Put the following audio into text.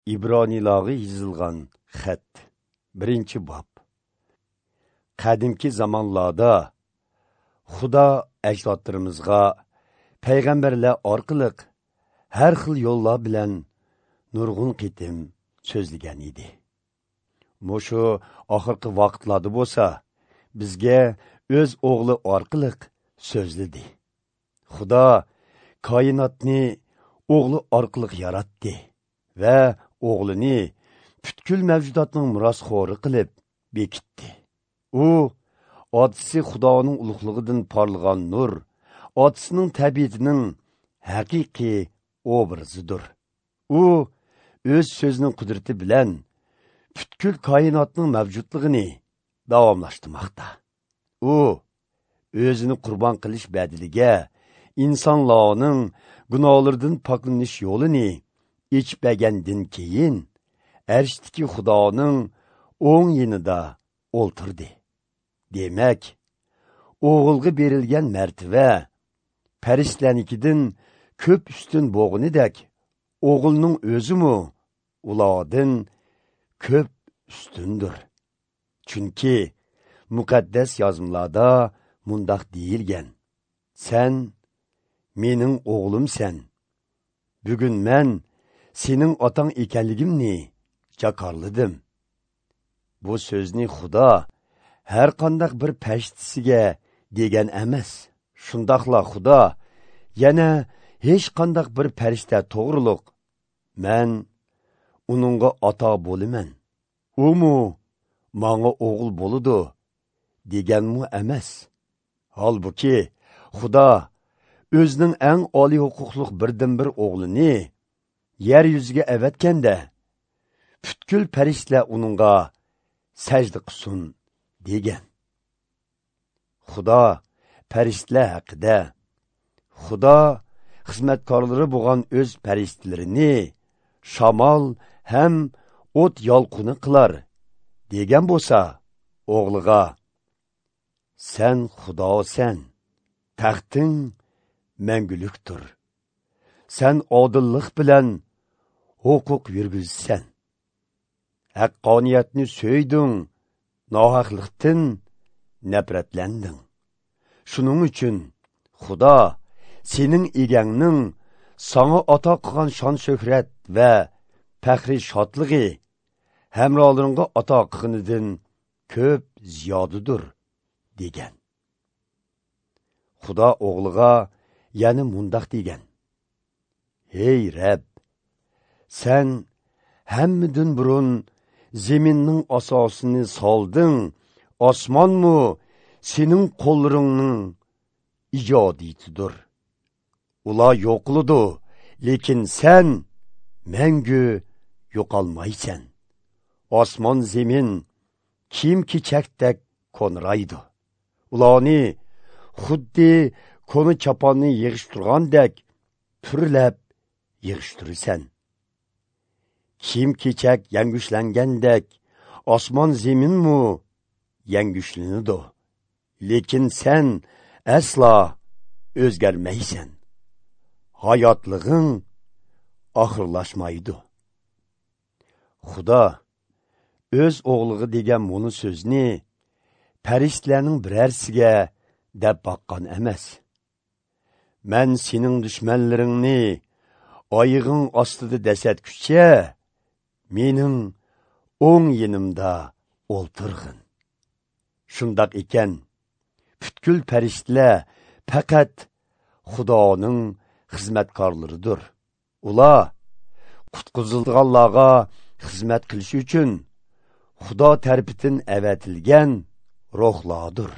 Ibroniylarga yozilgan xat, 1-bob. Qadimki zamonlarda Xudo ajdodlarimizga payg'ambarlar orqali har xil yo'llar bilan nurg'un qitim so'zlagan edi. Mushu oxirgi vaqtlarda bo'lsa, bizga o'z o'g'li orqali so'zladi. Xudo koinotni o'g'li orqali yaratdi va o'g'lini butkul mavjudotning merosxo'ri qilib bekitdi. U otasi Xudoning ulug'ligidan porlagan nur, otasining tabiatining haqiqiy obrazidir. U o'z so'zining qudrati bilan butkul koinotning mavjudligini davomlashtirmoqda. U o'zini qurbon qilish badiliga insonlarning gunohlaridan poklanish yo'lini ichib bergandan keyin arshdagi Xudoning o'ng yonida o'ltirdi. Demak, o'g'ilga berilgan martaba farishtalarnikidan ko'p ustun bo'g'inidek, o'g'ilning o'zimi ulardan ko'p ustundir. Chunki muqaddas yozmalarda mundaq deyilgan: Sen mening o'g'limsan. Bugun men sening otang ekanligimni jakorladim. Bu so'zni Xudo har qandaq bir parishtasiga degan emas. Shundoqla Xudo yana hech qandaq bir farishta to'g'riliq men uningga ota bo'laman, umu manga o'g'il bo'ladi deganmi emas. Holbuki Xudo o'zining eng oliy huquqli birdan-bir o'g'lini yer yuziga avatganda butkul farishtalar uningga sajda qilsin degan. Xudo farishtalar haqida: Xudo xizmatkorlari bo'lgan o'z farishtalarini shamol ham o't yolqini qilar degan bo'lsa, o'g'liga: Sen Xudosan, taxting mangulikdir. Sen odillik bilan huquq yurgizsan. Haqqoniyatni so'yding, nohaqlikdan nafratlanding. Shuning uchun Xudo sening egangning sanga ato qilgan shon-shuhrat va faxri shodligi hamrohlaringga ato qilganidan ko'p ziyodidir degan. Xudo o'g'liga yana mundoq degan: Hey Rab, sen hammadan burun zeminning asosini solding, osmonmu sening qo'llaringning ijodiyatidir. Ular yo'qoladi, lekin sen mangu yo'qolmaysan. Osmon zemin kiyim-kechakdek ko'nraydi. Ularni xuddi ko'ni chaponni yig'ishtirgandek purlab yig'ishtirasan. Kiyim-kechak yangushlangandak osmon zeminmu yangushlanadi. Lekin sen aslo o'zgarmaysan. Hayotlig'ing oxirlashmaydi. Xudo o'z o'g'liga degan buni so'zni farishtalarning birarsiga deb boqqan emas. Men sening dushmanlaringni oyig'ing ostida dasatkucha mening o'ng yonimda o'ltirg'in. Shundoq ekan, butkul farishtalar faqat Xudoning xizmatkorlaridir. Ular qutqizilganlarga xizmat qilish uchun Xudo tarafidan avatilgan ruhlardir.